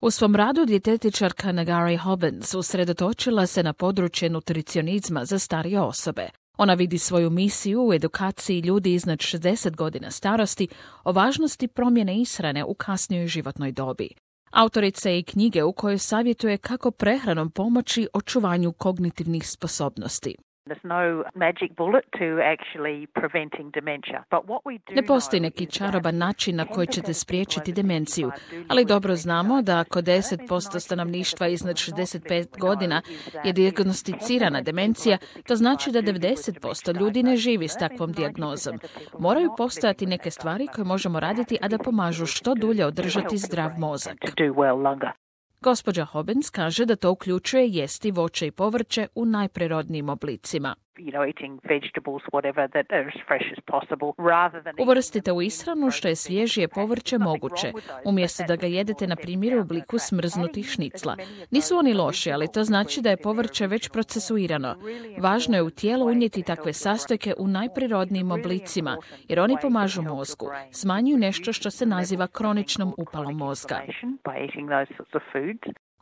U svom radu dijetetičarka Negari Hobbins usredotočila se na područje nutricionizma za starije osobe. Ona vidi svoju misiju u edukaciji ljudi iznad 60 godina starosti o važnosti promjene ishrane u kasnijoj životnoj dobi. Autorica je i knjige u kojoj savjetuje kako prehranom pomoći očuvanju kognitivnih sposobnosti. Ne postoji neki čaroban način na koji ćete spriječiti demenciju, ali dobro znamo da ako 10% stanovništva iznad 65 godina je dijagnosticirana demencija, to znači da 90% ljudi ne živi s takvom dijagnozom. Moraju postojati neke stvari koje možemo raditi, a da pomažu što dulje održati zdrav mozak. Gospođa Hobbins kaže da to uključuje jesti voće i povrće u najprirodnijim oblicima. Uvrstite u ishranu što je svježije povrće moguće, umjesto da ga jedete na primjer u obliku smrznutih šnicla. Nisu oni loši, ali to znači da je povrće već procesuirano. Važno je u tijelu unijeti takve sastojke u najprirodnijim oblicima, jer oni pomažu mozgu, smanjuju nešto što se naziva kroničnom upalom mozga.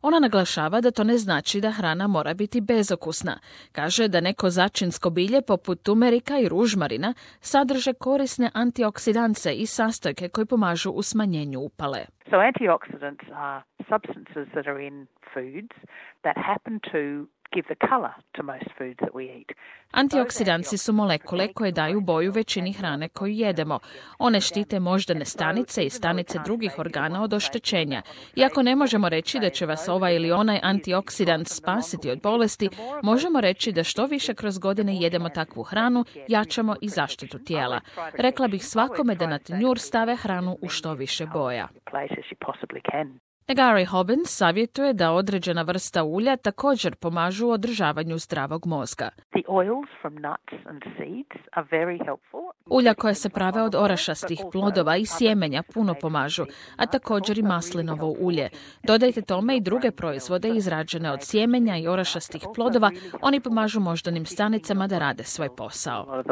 Ona naglašava da to ne znači da hrana mora biti bezokusna. Kaže da neko začinsko bilje poput tumerika i ružmarina sadrže korisne antioksidance i sastojke koji pomažu u smanjenju upale. So antioxidants are substances that are in foods that happen to give the color to most foods that we eat. Antioksidanci su molekule koje daju boju većini hrane koju jedemo. One štite moždane stanice i stanice drugih organa od oštećenja. Iako ne možemo reći da će vas ovaj ili onaj antioksidant spasiti od bolesti, možemo reći da što više kroz godine jedemo takvu hranu, jačamo i zaštitu tijela. Rekla bih svakome da na tanjur stave hranu u što više boja. Negari Hobbins savjetuje da određena vrsta ulja također pomažu u održavanju zdravog mozga. Ulja koja se prave od orašastih plodova i sjemenja puno pomažu, a također i maslinovo ulje. Dodajte tome i druge proizvode izrađene od sjemenja i orašastih plodova, oni pomažu moždanim stanicama da rade svoj posao.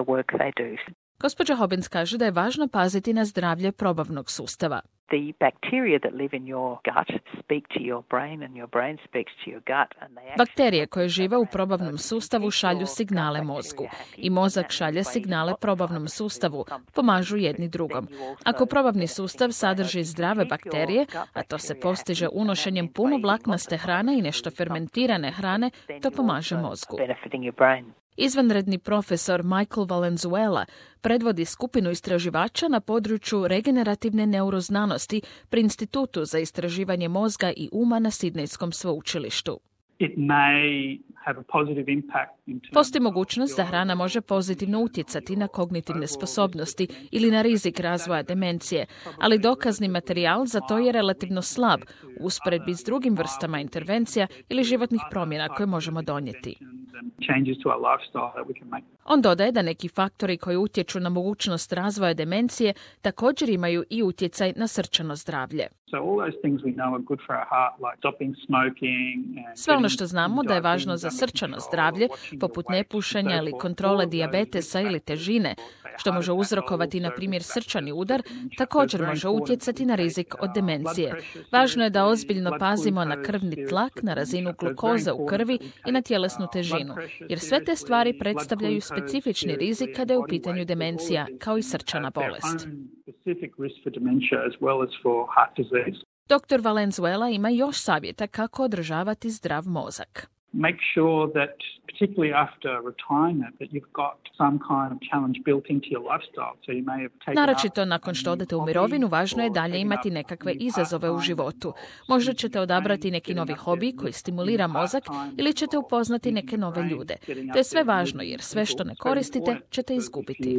Gospođa Hobbins kaže da je važno paziti na zdravlje probavnog sustava. The bacteria that live in your gut speak to your brain and your brain speaks to your gut. Bakterije koje žive u probavnom sustavu šalju signale mozgu i mozak šalje signale probavnom sustavu, pomažu jedni drugom. Ako probavni sustav sadrži zdrave bakterije, a to se postiže unošenjem puno vlaknaste hrane i nešto fermentirane hrane, to pomaže mozgu. Izvanredni profesor Michael Valenzuela predvodi skupinu istraživača na području regenerativne neuroznanosti pri Institutu za istraživanje mozga i uma na Sidnejskom sveučilištu. Postoji mogućnost da hrana može pozitivno utjecati na kognitivne sposobnosti ili na rizik razvoja demencije, ali dokazni materijal za to je relativno slab u usporedbi s drugim vrstama intervencija ili životnih promjena koje možemo donijeti. On dodaje da neki faktori koji utječu na mogućnost razvoja demencije također imaju i utjecaj na srčano zdravlje. Sve ono što znamo da je važno za srčano zdravlje, poput nepušenja ili kontrole dijabetesa ili težine, što može uzrokovati, na primjer, srčani udar, također može utjecati na rizik od demencije. Važno je da ozbiljno pazimo na krvni tlak, na razinu glukoze u krvi i na tjelesnu težinu, jer sve te stvari predstavljaju specifični rizik kada je u pitanju demencija, kao i srčana bolest. Dr. Valenzuela ima još savjeta kako održavati zdrav mozak. Make sure that, particularly after retirement, that you've got some kind of challenge built into your lifestyle. So you may have taken Naročito nakon što odete u mirovinu, važno je dalje imati nekakve izazove u životu. Možda ćete odabrati neki novi hobi koji stimulira mozak ili ćete upoznati neke nove ljude. To je sve važno jer sve što ne koristite ćete izgubiti.